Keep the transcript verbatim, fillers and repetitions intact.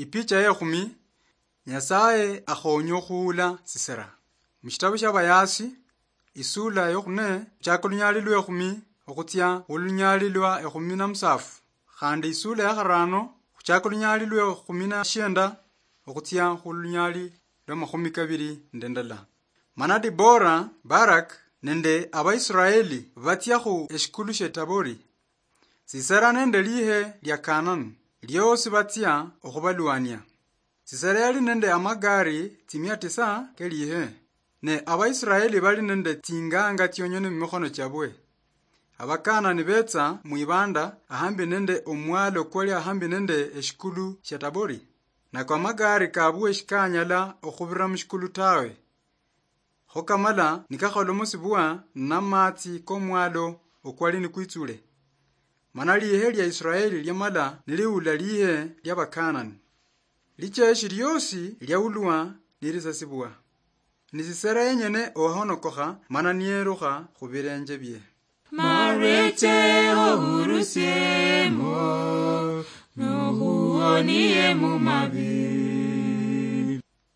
Ipicha yekhumi, Nyasaye akhonya okhuula Sisera. Mushitabu shia Bayasi, isula yokhune, khuchaka olunyali lwekhumi okhutsia khulunyali lwa ekhumi na musafu, khandi isula ya kharano khuchaka olunyali lwekhumi na shienda okhutsia khulunyali lwa makhumi kabiri nende ndala. Mana Dibora, Barak nende Abaisraeli batsia khu eshikulu shie Tabori. Sisera nende lihe lia Kanani liosi batsia okhubalwania. Sisera yali nende amagari tsimia tisa kelihe, ne Abaisraeli bali nende tsinganga tsionyene mumikhono chiabwe. Abakanani betsa mwibanda ahambi nende omwalo kwali ahambi nende eshikulu shia Tabori, nako amagari kabwe shikanyala okhubira mushikulu tawe. Kho kamala nikakholomosibwa namatsi komwalo okwali nikwitsule. Mana lihe lia Israeli liamala niliula lihe lia Bakanani. Licheshi liosi liaulwa nilisasibwa. Ni Sisera yenyene owahonokokha mana niyerukha khubilenje bie. Marweche ohurusiemo, nohuonie mumabi.